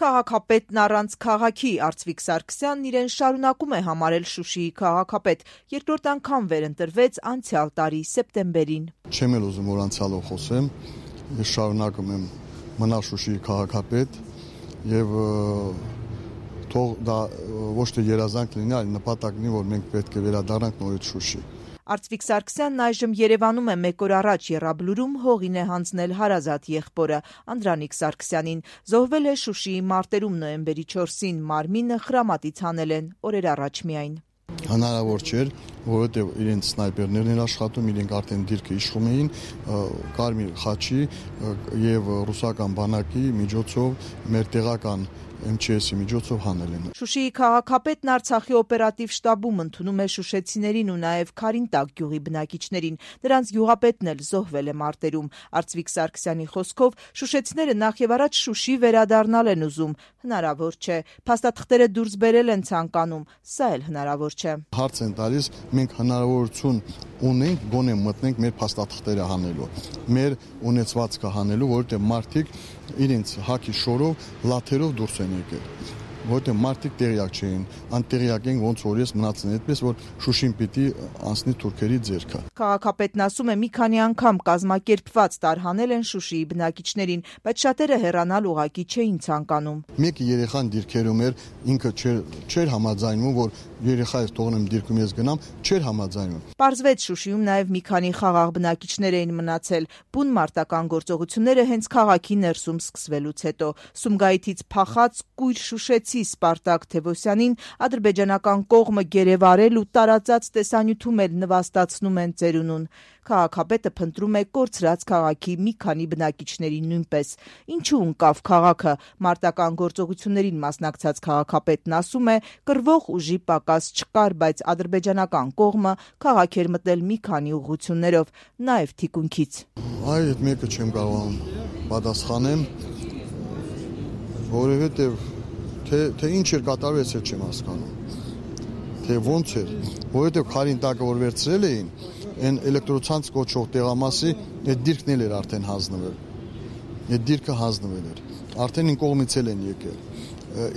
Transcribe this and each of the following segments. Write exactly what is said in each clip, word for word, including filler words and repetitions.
Քաղաքապետն առանց քաղաքի Արծվիկ Սարգսյանն իրեն շարունակում է համարել Շուշիի քաղաքապետ, երկրորդ անգամ վերընտրվեց անցյալ տարի սեպտեմբերին։ Չեմ էլ ուզում որ անցյալով խոսեմ, ես շարունակում եմ մնալ Շուշիի քաղաքապետ եւ թող դա ոչ թե երազանք լինի, այլ նպատակ լինի, որ մենք պետք է վերադառնանք նորից Շուշի։ Արծվիկ Սարգսյանն այժմ Երևանում է մեկ օր առաջ Եռաբլուրում հողին է հանձնել հարազատ եղբորը Անդրանիկ Սարգսյանին։ Զոհվել է Շուշիի մարտերում նոյեմբերի չորսին, մարմինը Խրամատից հանել են օրեր առաջ միայն։ Հնարավոր չէր, որովհետև իրենց սնայպերներն են աշխատում, իրենք արդեն դիրքը իշխում էին Կարմիր խաչի եւ ռուսական բանակի միջոցով մեր տեղական Էմ Չի Էսի միջոցով հանել են։ Շուշիի քաղաքապետն Արցախի օպերատիվ շտաբում ընդունում է շուշեցիներին ու նաև Քարինտակ գյուղի բնակիչներին։ Նրանց գյուղապետն էլ զոհվել է մարտերում։ Արծվիկ Սարգսյանի խոսքով շուշեցիները նախ եւ առաջ Շուշի վերադառնալ են ուզում։ Հնարավոր չէ։ Փաստաթղթերը դուրս բերել են ցանկանում, սա էլ հնարավոր չէ։ Հարց են տալիս, մենք հնարավորություն ունենք գոնե մտնենք մեր փաստաթղթերը հանելու, մեր ունեցվածքը հանելու, որովհետև մարդիկ իրենց հակի շորով լաթերով դուրս են եկել, որովհետև մարդիկ տեղյակ չէին, անտեղյակ են ոնց որ ես մնացին, այդպես որ Շուշին պիտի անցնի թուրքերի ձեռքը։ Քաղաքապետն ասում է մի քանի անգամ կազմակերպված տարհանել են Շուշիի բնակիչներին, բայց շատերը հեռանալ ուղղակի չէին ցանկանում։ Մեկ երեխան դիրքերում էր, ինքը չէր չէր համաձայնում, որ երեխայից թողնեմ դիրքում ես գնամ, չէր համաձայնում։ Պարզվեց Շուշիում նաև մի քանի խաղաղ բնակիչներ էին մնացել։ Բուն մարտական գործողությունները հենց քաղաքի ներսում սկսվելուց հետո Սումգայիթից փախած կույր շուշեցի Սպարտակ Թևոսյանին ադրբեջանական կողմը գերեվարել ու տարածած տեսանյութում էլ նվաստացնում են ծերունուն։ Քաղաքապետը փնտրում է կորցրած քաղաքի մի քանի բնակիչների նույնպես։ Ինչու ընկավ քաղաքը։ Մարտական գործողություններին մասնակցած քաղաքապետն ասում է, կռվող ուժի պակաս չկար, բայց ադրբեջանական կողմը քաղաք էր մտել մի քանի ուղղություններով, նաև թիկունքից։ Այ այդ մեկը չեմ կարողանում պատասխանեմ, որովհետև թե թե ինչ էր կատարվել, ես չեմ հասկանում։ Թե ոնց էր, որովհետև Քարինտակը որ վերցրել էին, այն էլեկտրոցանց կոչող տեղամասի այդ դիրքն էլ էր արդեն հանձնվել։ Այդ դիրքը հանձնվել էր։ Արդեն ին կողմից էլ են եկել։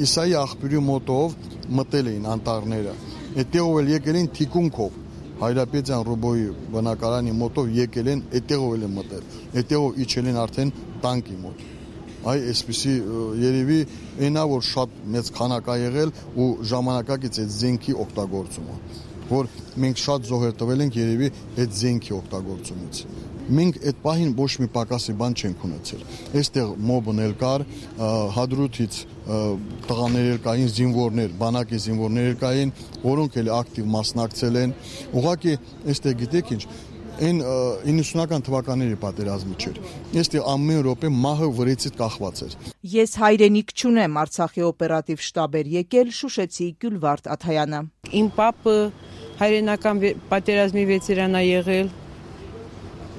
Իսայի աղբյուրի մոտով մտել էին անտառները։ Այդտեղով էլ եկել են թիկունքով։ Հայրապետյան Ռուբոյի բնակարանի մոտով եկել են, այդտեղով էլ են մտել։ Այդտեղով իջել են արդեն տանկի մոտ։ Այ այսպեսի երևի այնա որ շատ մեծ քանակ ա եղել ու ժամանակակից այդ զենքի օգտագործումը, որ մենք շատ զոհեր տվել ենք երևի այդ զենքի օգտագործումից։ Մենք այդ պահին ոչ մի պակասի բան չենք ունեցել։ Այստեղ մոբն էլ կար, Հադրութից տղաներ էլ կային, զինվորներ, բանակի զինվորներ կային, որոնք էլ ակտիվ մասնակցել են։ Ուղղակի այստեղ գիտեք ինչ, այն իննսունական թվականների պատերազմը չէր։ Այստեղ ամեն րոպե մահը վրեցից կախված էր։ Ես հայրենիք չունեմ, Արցախի օպերատիվ շտաբ էր եկել Շուշեցի Գյուլվարդ Աթայանը։ Իմ պապը հայրենական պատերազմի վետերան ա եղել,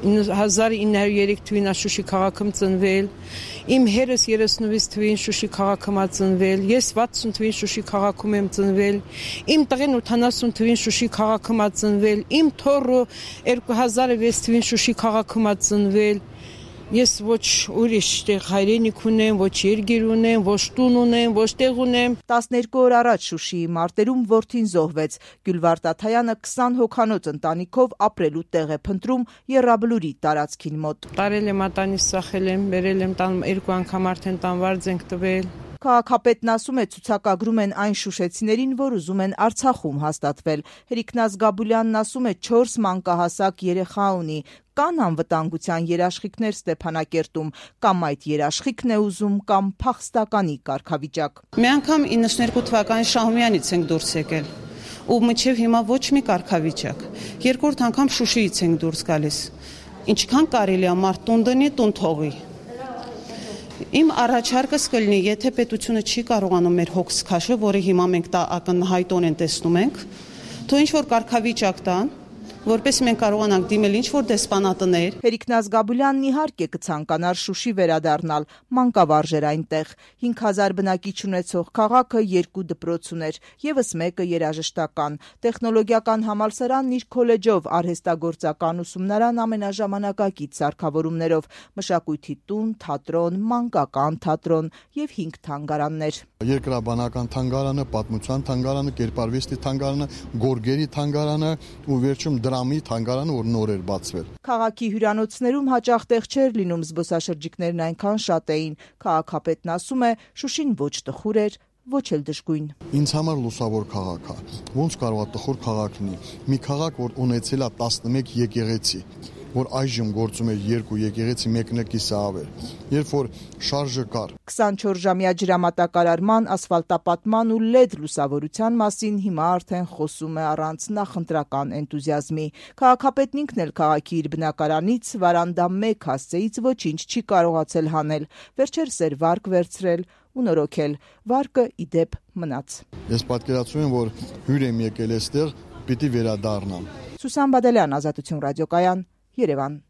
հազար ինը հարյուր երեք թվին Շուշի քաղաքում ծնվել, իմ հերս երեսնվեց թվին Շուշի քաղաքում ա ծնվել, ես վաթսուն թվին Շուշի քաղաքում եմ ծնվել, իմ տղեն ութանասուն թվին Շուշի քաղաքում ա ծնվել, իմ թոռը երկու հազար վեց թվին Շուշի քաղաքում ա ծնվել։ Ես ոչ ուրիշ տեղ հայրենիք ունեմ, ոչ երգեր ունեմ, ոչ տուն ունեմ, ոչ տեղ ունեմ։ տասներկու օր առաջ Շուշիի մարտերում որդին զոհվեց։ Գյուլվարդ Աթայանը քսան հոգանոց ընտանիքով ապրելու տեղ է փնտրում Եռաբլուրի տարածքին մոտ։ Տարել եմ ատանից սախել եմ, բերել եմ տան երկու անգամ արդեն տանվարձ ենք տվել։ Քաղաքապետն ասում է, ցուցակագրում են այն շուշեցիներին, որ ուզում են Արցախում հաստատվել։ Հերիկնազ Գաբուլյանն ասում է, չորս մանկահասակ երեխա ունի, կան անվտանգության երաշխիքներ Ստեփանակերտում, կամ այդ երաշխիքն է ուզում, կամ փախստականի կարգավիճակ։ Մի անգամ իննսուններկու թվականի Շահումյանից ենք դուրս եկել, ու մինչև հիմա ոչ մի կարգավիճակ։ Երկրորդ անգամ Շուշիից ենք դուրս գալիս։ Ինչքան կարելի է մարդ տուն դնի, տուն թողի։ Իմ առաջարկս կլինի, եթե պետությունը չի կարողանում մեր հոգս քաշել, որը հիմա մենք դա ակնհայտորեն տեսնում ենք, թող ինչ որ կարգավիճակ տան, որպես մենք կարողանանք դիմել ինչ-որ դեսպանատներ։ Հերիկնազ Գաբուլյանն իհարկե կցանկանար Շուշի վերադառնալ, մանկավարժ էր այնտեղ։ հինգ հազար բնակիչ ունեցող քաղաքը երկու դպրոց ուներ, ևս մեկը երաժշտական։ Տեխնոլոգիական համալսարանն իր քոլեջով, արհեստագործական ուսումնարան ամենաժամանակակից սարքավորումներով, մշակույթի տուն, թատրոն, մանկական թատրոն և հինգ թանգարաններ։ Երկրաբանական թանգարանը, պատմության թանգարանը, կերպարվեստի թանգարանը, գորգերի թանգարանը ու վերջում դրամի թանգարանը, որ նոր էր բացվել։ Քաղաքի հյուրանոցներում հաճախ տեղ չէր լինում, զբոսաշրջիկներն այնքան շատ էին։ Քաղաքապետն ասում է, Շուշին ոչ տխուր էր, ոչ էլ դժգույն։ Ինձ համար լուսավոր քաղաք է։ Ոնց կարող է տխուր քաղաք լինի։ Մի քաղաք, որ ունեցել է տասնմեկ եկեղեցի, որ այժմ գործում է երկու եկեղեցի, մեկն է կիսավեր, երբ որ շարժը կար։ քսանչորս ժամյա ջրամատակարարման, ասֆալտապատման ու լեդ լուսավորության մասին հիմա արդեն խոսում է առանց նախընտրական էնտուզիազմի։ Քաղաքապետն ինքն էլ քաղաքի իր բնակարանից վարանդա մեկ հասցեից ոչինչ չի կարողացել հանել, վերջերս էր վարկ վերցրել ու նորոգել։ Վարկը ի դեպ մնաց։ Ես պատկերացնում եմ, որ հյուր եմ եկել այստեղ, պիտի վերադառնամ։ Սուսան Բադալյան, Ազատություն ռադիոկայան, Երևան։